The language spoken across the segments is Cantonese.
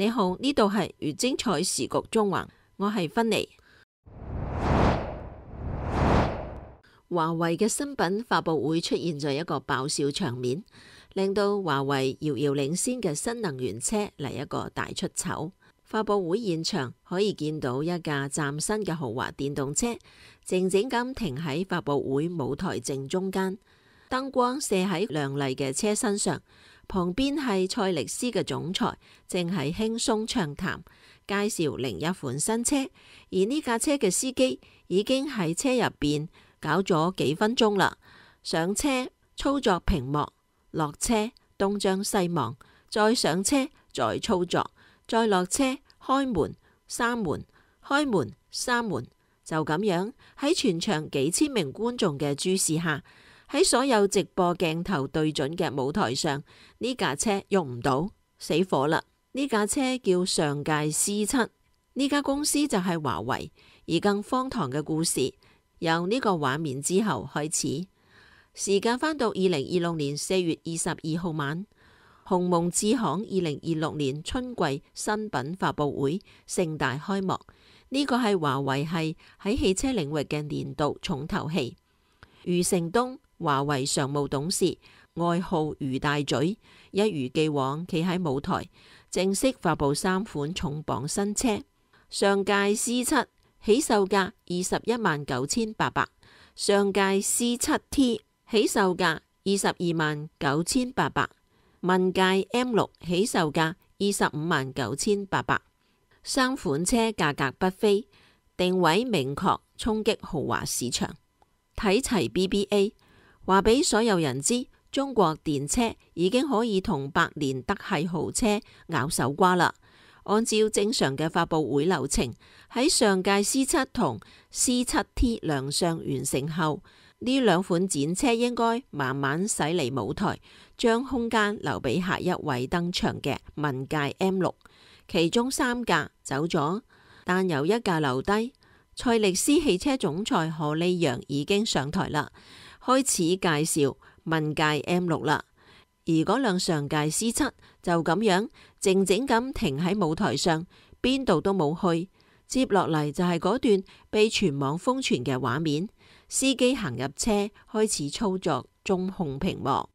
你好，呢度係粵精彩時局中環，我係芬妮。華為嘅新品發佈會出現咗一個爆笑場面，令到華為遙遙領先嘅新能源車嚟一個大出醜。發佈會現場可以見到一架嶄新嘅豪華電動車，靜靜咁停喺發佈會舞台正中間，燈光射喺亮麗嘅車身上，旁邊係蔡力斯嘅總裁，正係輕鬆暢談介紹另一款新車，而呢架車嘅司機已經喺車入邊搞咗幾分鐘啦，上車操作屏幕，落車東張西望，再上車再操作，再落車開門閂門，開門閂門，就咁樣喺全場幾千名觀眾嘅注視下，喺所有直播鏡頭對準嘅舞台上，呢架車喐唔到，死火啦！呢架車叫上屆 C7， 呢家公司就係華為。而更荒唐嘅故事由呢個畫面之後開始。時間返到2026年4月22號晚，鴻蒙智行2026年春季新品發佈會盛大開幕。呢個係華為係喺汽車領域嘅年度重頭戲。余承東，華為常務董事，外號余大嘴，一如既往企喺舞台，正式發佈3款重磅新車。上屆 C7 起售價219800，上屆 C7T 起售價229800，問界 M6 起售價259,800。3款車價格不菲，定位明確，衝擊豪華市場。睇齊 BBA， 話俾所有人知，中國電車已經可以同百年德系豪車咬手瓜啦。按照正常嘅發佈會流程，喺上屆 C7 同 C7T 亮相完成後，呢兩款展車應該慢慢駛離舞台，將空間留俾下一位登場嘅問界 M6。其中3架走咗，但有一架留低。蔡力斯汽車總裁何利揚已經上台啦，開始介紹問界 M6 啦。而嗰輛上屆 C7 就咁樣靜靜咁停喺舞台上，邊度都冇去。接落嚟就係嗰段被全網瘋傳嘅畫面，司機行入車，開始操作中控屏幕，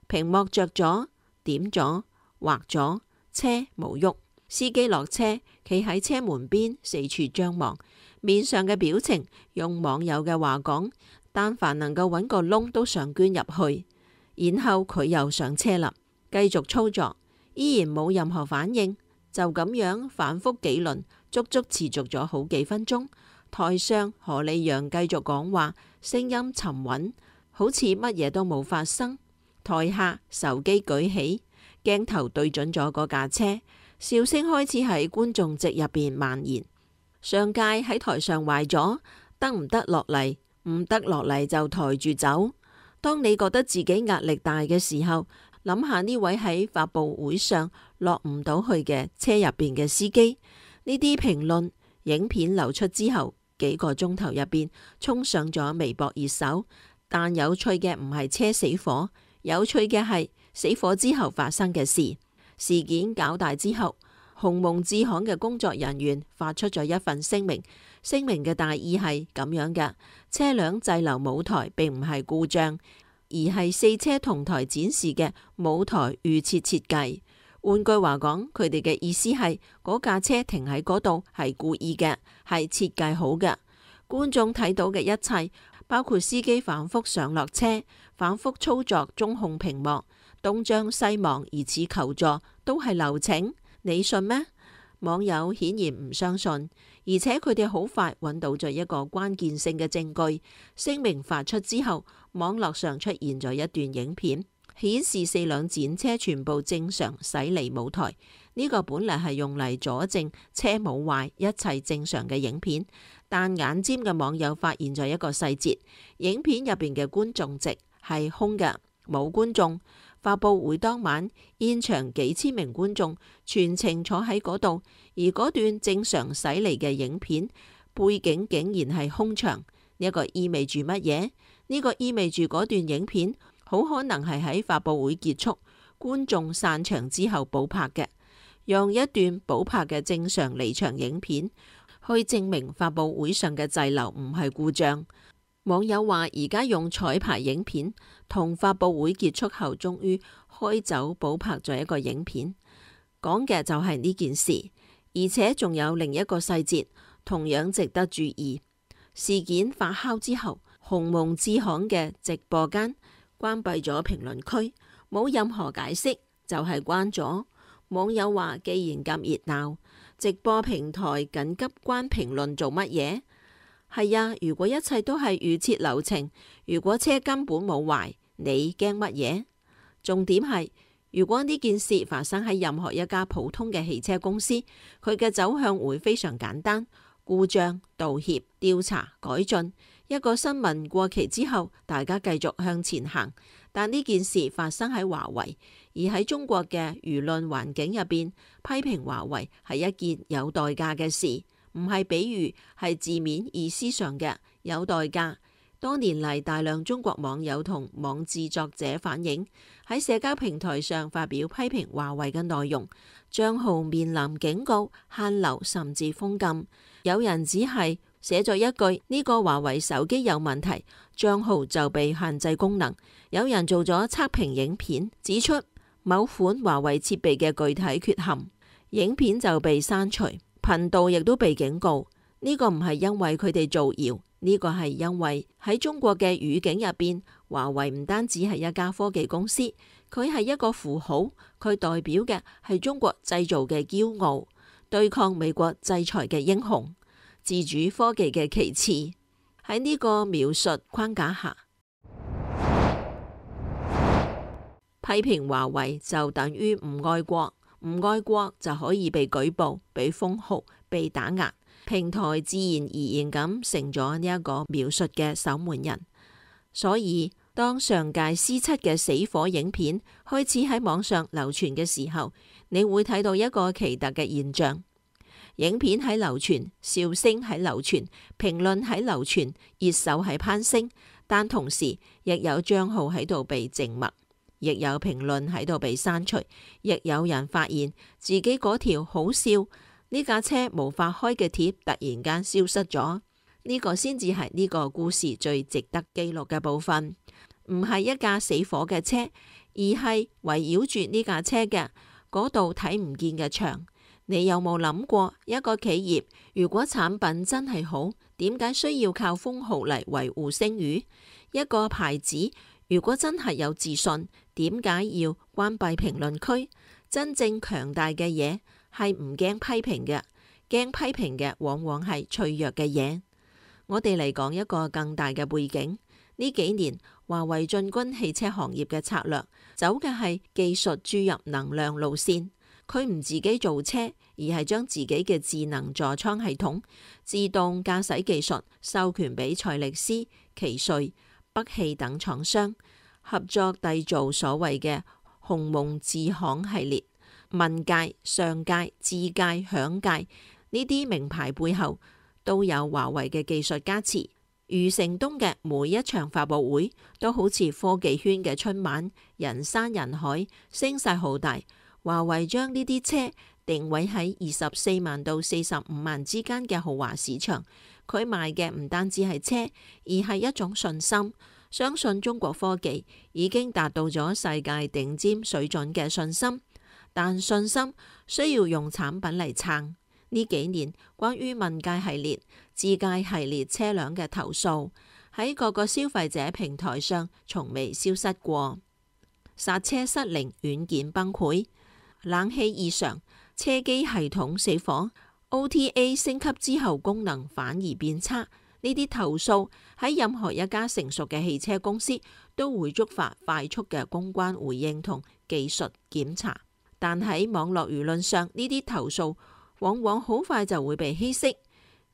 屏幕着咗，點咗，畫咗，車冇喐。司機落車，企喺車門邊四處張望，面上嘅表情用網友嘅話講，但凡能夠揾個窿都想捐入去。然後佢又上車啦，繼續操作，依然冇任何反應，就咁樣反覆幾輪，足足持續咗好幾分鐘。台上何利揚繼續講話，聲音沉穩，好似乜嘢都冇發生。台下手機舉起，鏡頭對準咗嗰架車，笑聲開始喺觀眾席入邊蔓延。上屆喺台上壞咗，得唔得落嚟？唔得落嚟就抬住走。當你覺得自己壓力大嘅時候，諗下呢位喺發佈會上落唔到去嘅車入邊嘅司機。呢啲評論影片流出之後，幾個鐘頭入邊衝上咗微博熱搜。但有趣嘅唔係車死火，有趣嘅係死火之後發生嘅事。事件搞大之後，鴻蒙智行嘅工作人員發出咗一份聲明，聲明嘅大意係咁樣嘅：車輛滯留舞台並唔係故障，而係4車同台展示嘅舞台預設設計。換句話講，佢哋嘅意思係嗰架車停喺嗰度係故意嘅，係設計好嘅。觀眾睇到嘅一切，包括司機反覆上落車、反覆操作中控屏幕、東張西望疑似求助，都係流程，你信咩？網友顯然唔相信，而且佢哋好快揾到咗一個關鍵性嘅證據。聲明發出之後，網絡上出現咗一段影片，顯示4輛展車全部正常駛離舞台。呢個本嚟係用嚟佐證車冇壞、一切正常嘅影片，但眼尖嘅網友發現咗一個細節，影片入邊嘅觀眾席係空嘅，冇觀眾。發佈會當晚，現場幾千名觀眾全程坐喺嗰度，而嗰段正常駛離嘅影片背景竟然係空場。呢個意味住乜嘢？呢個意味住嗰段影片好可能係喺發佈會結束，觀眾散場之後補拍嘅，用一段補拍嘅正常離場影片去證明發佈會上嘅滯留唔係故障。網友話而家用彩排影片同發佈會結束後終於開走補拍咗一個影片，講嘅就係呢件事。而且仲有另一個細節同樣值得注意。事件發酵之後，鴻蒙智行嘅直播間關閉咗評論區，冇任何解釋，就係關咗。網友話既然咁熱鬧，直播平台緊急關評論做乜嘢？係啊，如果一切都係預設流程，如果車根本冇壞，你驚乜嘢？重點係，如果呢件事發生喺任何一家普通嘅汽車公司，佢嘅走向會非常簡單：故障、道歉、調查、改進。一個新聞過期之後，大家繼續向前行。但呢件事發生喺華為，而喺中國嘅輿論環境入邊，批評華為係一件有代價嘅事。唔係比喻，係字面意思上嘅有代價。多年嚟，大量中國網友同網誌作者反映，喺社交平台上發表批評華為嘅內容，賬號面臨警告、限流甚至封禁。有人只係寫咗一句呢個華為手機有問題，賬號就被限制功能。有人做咗測評影片，指出某款華為設備嘅具體缺陷，影片就被刪除。頻道亦都被警告，呢個唔係因為佢哋造謠，呢個係因為喺中國嘅語境入邊，華為唔單止係一家科技公司，佢係一個符號，佢代表嘅係中國製造嘅驕傲，對抗美國制裁嘅英雄，自主科技嘅旗幟。喺呢個描述框架下，批評華為就等於唔愛國。唔愛國就可以被舉報、被封號、被打壓，平台自然而然咁成咗呢一個描述嘅守門人。所以當上屆 C7 嘅死火影片開始喺網上流傳嘅時候，你會睇到一個奇特嘅現象：影片喺流傳，笑聲喺流傳，評論喺流傳，熱搜喺攀升，但同時亦有賬號喺度被靜默。亦有評論喺度被刪除，亦有人發現自己嗰條好笑呢架車無法開嘅貼突然間消失咗。呢個先至係呢個故事最值得記錄嘅部分，唔係一架死火嘅車，而係圍繞住呢架車嘅嗰度睇唔見嘅牆。你有冇諗過，一個企業如果產品真係好，點解需要靠封號嚟維護聲譽？一個牌子如果真係有自信，點解要關閉評論區？真正強大嘅嘢係唔驚批評嘅，驚批評嘅往往係脆弱嘅嘢。我哋嚟講一個更大嘅背景，呢幾年華為進軍汽車行業嘅策略，走嘅係技術注入能量路線。佢唔自己造車，而係將自己嘅智能座艙系統、自動駕駛技術授權俾賽力斯、奇瑞、北汽等廠商，合作締造所謂嘅鴻蒙智行系列。問界、上界、智界、響界呢啲名牌背後都有華為嘅技術加持。余承東嘅每一場發佈會都好似科技圈嘅春晚，人山人海，聲勢浩大。華為將呢啲車定位喺24萬到45萬之間嘅豪華市場，佢賣嘅唔單止係車，而係一種信心，相信中國科技已經達到咗世界頂尖水準嘅信心。但信心需要用產品嚟撐。呢幾年關於問界系列、智界系列車輛嘅投訴喺各個消費者平台上從未消失過。剎車失靈，軟件崩潰，冷氣異常，車機系統死火， OTA 升級之後功能反而變差。呢啲投訴喺任何一家成熟嘅汽車公司都會觸發快速嘅公關回應同技術檢查。但喺網絡輿論上，呢啲投訴往往好快就會被稀釋，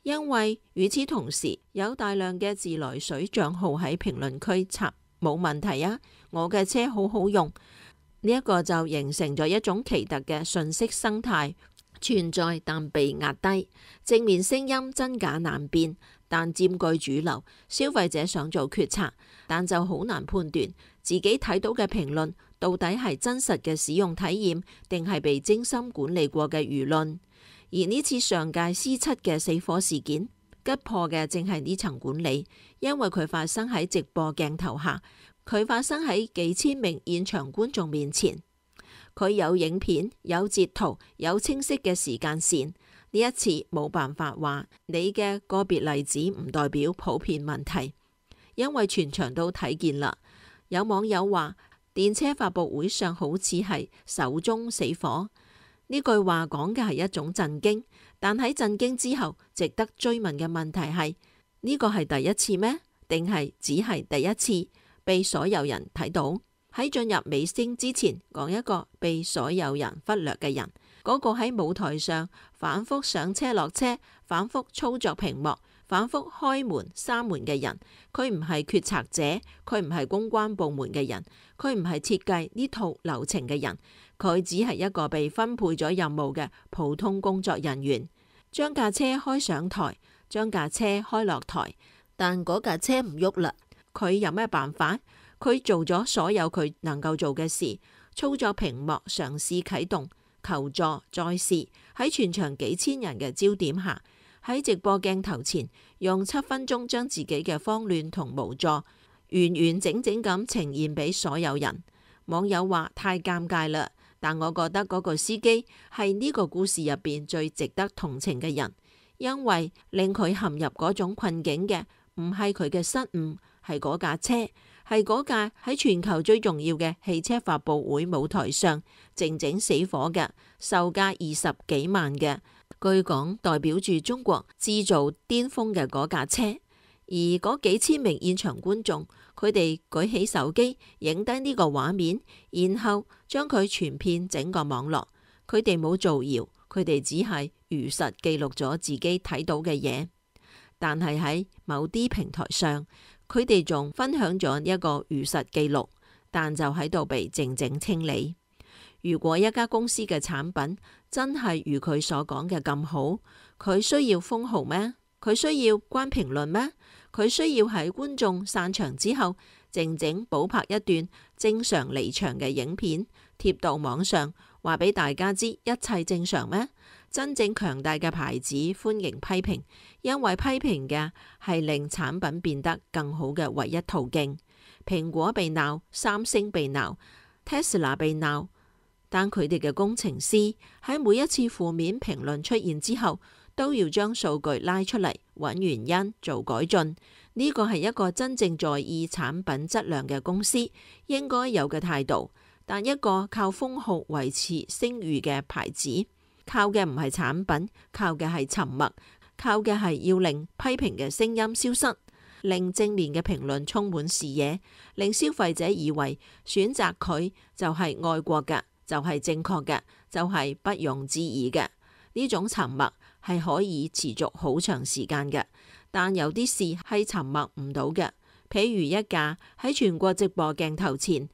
因為與此同時有大量嘅自來水賬號喺評論區插冇問題啊，我嘅車好好用。呢一個就形成咗一種奇特嘅信息生態，存在但被壓低，正面聲音真假難辨，但佔據主流。消費者想做決策，但就好難判斷自己睇到嘅評論到底係真實嘅使用體驗，定係被精心管理過嘅輿論。而呢次上屆 C7 嘅死火事件，擊破嘅正係呢層管理，因為佢發生喺直播鏡頭下，佢發生喺幾千名現場觀眾面前。佢有影片、有截圖、有清晰嘅時間線。呢一次冇辦法話你嘅個別例子唔代表普遍問題，因為全場都睇見啦。有網友話電車發佈會上好似係首宗死火，呢句話講嘅係一種震驚，但喺震驚之後，值得追問嘅問題係呢個係第一次咩？定係只係第一次被所有人睇到？喺進入尾聲之前，講一個被所有人忽略嘅人，嗰個喺舞台上反覆上車落車、反覆操作屏幕、反覆開門閂門嘅人。佢唔係決策者，佢唔係公關部門嘅人，佢唔係設計呢套流程嘅人，佢只係一個被分配咗任務嘅普通工作人員。將架車開上台，將架車開落台，但嗰架車唔喐啦。佢有咩辦法？佢做咗所有佢能夠做嘅事，操作屏幕，嘗試啟動，求助，再試。喺全場幾千人嘅焦點下，喺直播鏡頭前，用7分鐘將自己嘅慌亂同無助完完整整咁呈現俾所有人。網友話太尷尬啦，但我覺得嗰個司機係呢個故事入邊最值得同情嘅人，因為令佢陷入嗰種困境嘅唔係佢嘅失誤，係嗰架車，係嗰架喺全球最重要嘅汽車發佈會舞台上靜靜死火嘅，售價20幾萬嘅，據講代表住中國製造巔峰嘅嗰架車。而嗰幾千名現場觀眾，佢哋舉起手機影低呢個畫面，然後將佢傳遍整個網絡。佢哋冇造謠，佢哋只係如實記錄咗自己睇到嘅嘢。但係喺某啲平台上，佢哋仲分享咗一個如實記錄，但就喺度被靜靜清理。如果一家公司嘅產品真係如佢所講嘅咁好，佢需要封號咩？佢需要關評論咩？佢需要喺觀眾散場之後靜靜補拍一段正常離場嘅影片貼到網上，話俾大家知一切正常咩？真正強大嘅牌子歡迎批評，因為批評嘅係令產品變得更好嘅唯一途徑。蘋果被鬧，三星被鬧，Tesla 被鬧，但佢哋嘅工程師喺每一次負面評論出現之後，都要將數據拉出嚟，揾原因，做改進。呢個係一個真正在意產品質量嘅公司應該有嘅態度。但一個靠封號維持聲譽嘅牌子，靠嘅唔係產品，靠嘅係沉默，靠嘅係要令批評嘅聲音消失，令正面嘅評論充滿視野，令消費者以為選擇佢就係愛國嘅，就係正確嘅，就係不容置疑嘅。呢種沉默係可以持續好長時間嘅，但有啲事係沉默唔到嘅。譬如一架喺全國直播鏡頭前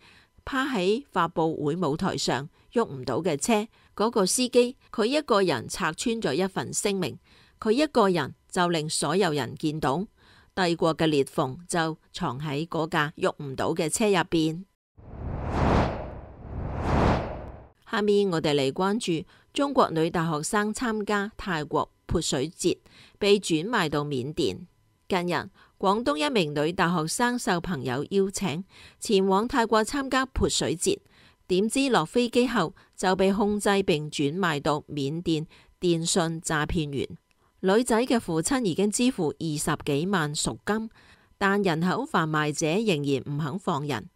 趴喺發佈會舞台上喐唔到嘅車，嗰個司機佢一個人拆穿咗一份聲明，佢一個人就令所有人見到帝國嘅裂縫就藏喺嗰架喐唔到嘅車入邊。下面我哋嚟關注中國女大學生參加泰國潑水節被轉賣到緬甸。近日，廣東一名女大學生受朋友邀請前往泰國參加潑水節，點知落飛機後就被控制並轉賣到緬甸電信詐騙員。女仔嘅父親已經支付20幾萬贖金，但人口販賣者仍然唔肯放人。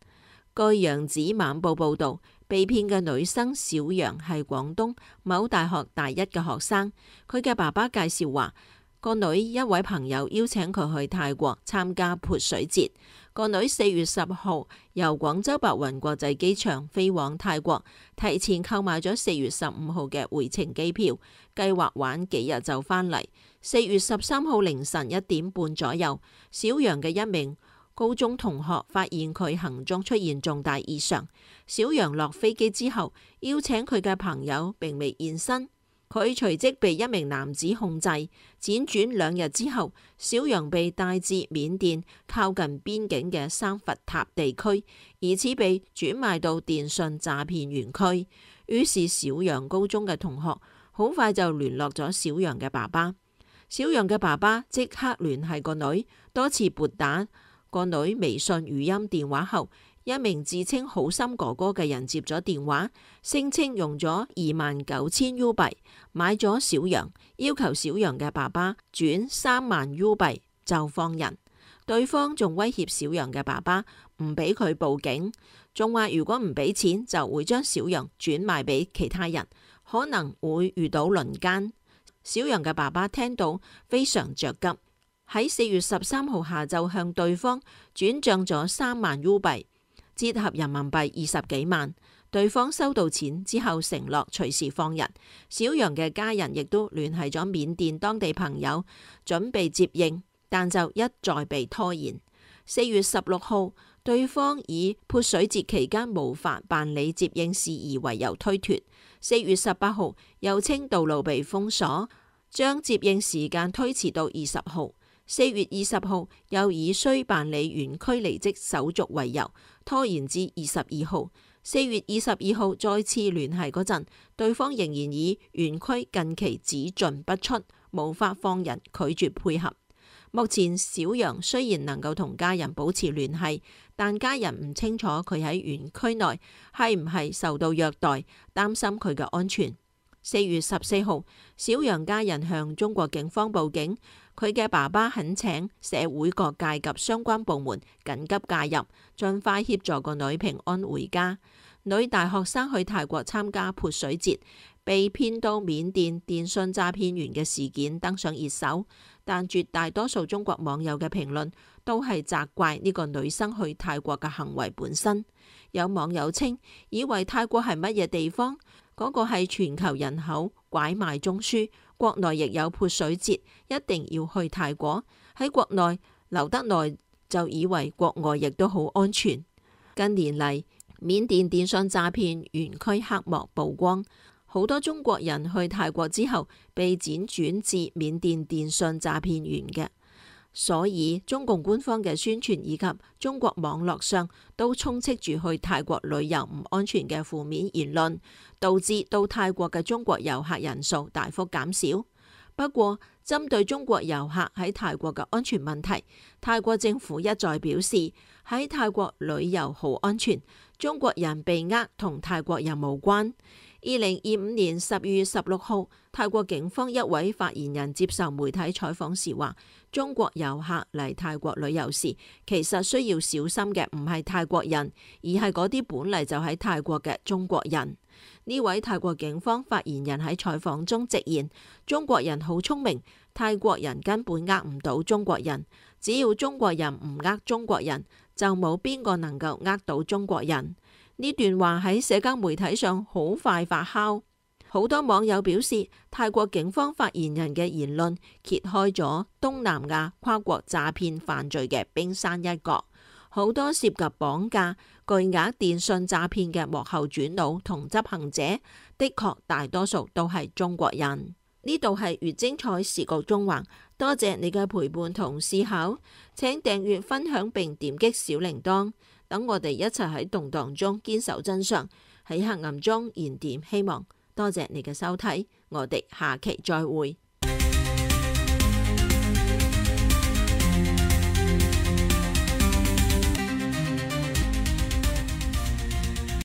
據《揚子晚報》報道，被騙嘅女生小楊係廣東某大學大一嘅學生，佢嘅爸爸介紹話，個女一位朋友邀請佢去泰國參加潑水節。個女4月10號由廣州白雲國際機場飛往泰國，提前購買咗4月15號嘅回程機票，計劃玩幾日就返嚟。4月13號凌晨1點半左右，小楊嘅一名高中同學發現佢行蹤出現重大異常。小楊落飛機之後，邀請佢嘅朋友並未現身。佢隨即被一名男子控制。輾轉2日之後，小楊被帶至緬甸靠近邊境嘅三佛塔地區，疑似被轉賣到電信詐騙園區。於是小楊高中嘅同學好快就聯絡咗小楊嘅爸爸。小楊嘅爸爸即刻聯繫個女，多次撥打個女微信語音電話後，一名自稱好心哥哥嘅人接咗電話，聲稱用咗29,000 U 幣買咗小楊，要求小楊嘅爸爸轉3萬 U 幣就放人。對方仲威脅小楊嘅爸爸唔俾佢報警，仲話如果唔俾錢就會將小楊轉賣俾其他人，可能會遇到輪姦。小楊嘅爸爸聽到非常着急，喺4月13號下晝向對方轉賬咗3萬 U 幣。折合人民幣20幾萬，對方收到錢之後承諾隨時放人。小楊嘅家人亦都聯繫咗緬甸當地朋友，準備接應，但就一再被拖延。4月16號，對方以潑水節期間無法辦理接應事宜為由推脫。4月18號，又稱道路被封鎖，將接應時間推遲到20號。4月20號，又以需辦理園區離職手續為由，拖延至22號。4月22號再次聯繫嗰陣，對方仍然以園區近期只進不出，無法放人，拒絕配合。目前小楊雖然能夠同家人保持聯繫，但家人唔清楚佢喺園區內係唔係受到虐待，擔心佢嘅安全。4月14號，小楊家人向中國警方報警，佢嘅爸爸懇請社會各界及相關部門緊急介入，盡快協助個女平安回家。女大學生去泰國參加潑水節，被騙到緬甸電信詐騙員嘅事件登上熱搜，但絕大多數中國網友嘅評論都係責怪呢個女生去泰國嘅行為本身。有網友稱，以為泰國係乜嘢地方？嗰個係全球人口拐賣中樞，國內亦有潑水節，一定要去泰國。喺國內留得耐，就以為國外亦都好安全。近年嚟，緬甸電信詐騙園區黑幕曝光，好多中國人去泰國之後被輾轉至緬甸電信詐騙園嘅。所以中共官方嘅宣傳以及中國網絡上都充斥住去泰國旅遊唔安全嘅負面言論，導致到泰國嘅中國遊客人數大幅減少。不過，針對中國遊客喺泰國嘅安全問題，泰國政府一再表示喺泰國旅遊好安全，中國人被呃同泰國人無關。2025年12月16號，泰國警方一位發言人接受媒體採訪時話，中國遊客嚟泰國旅遊時，其實需要小心嘅唔係泰國人，而係嗰啲本嚟就喺泰國嘅中國人。呢位泰國警方發言人喺採訪中直言，中國人好聰明，泰國人根本呃唔到中國人，只要中國人唔呃中國人，就冇邊個能夠呃到中國人。呢段話喺社交媒體上好快發酵，好多網友表示，泰國警方發言人嘅言論揭開咗東南亞跨國詐騙犯罪嘅冰山一角。好多涉及綁架、巨額電信詐騙嘅幕後主腦同執行者，的確大多數都係中國人。呢度係越精彩時局中環，多謝你嘅陪伴同思考，請訂閱、分享並點擊小鈴鐺，等我哋一齊喺動盪中堅守真相，喺黑暗中燃點希望。多謝你嘅收睇，我哋下期再會。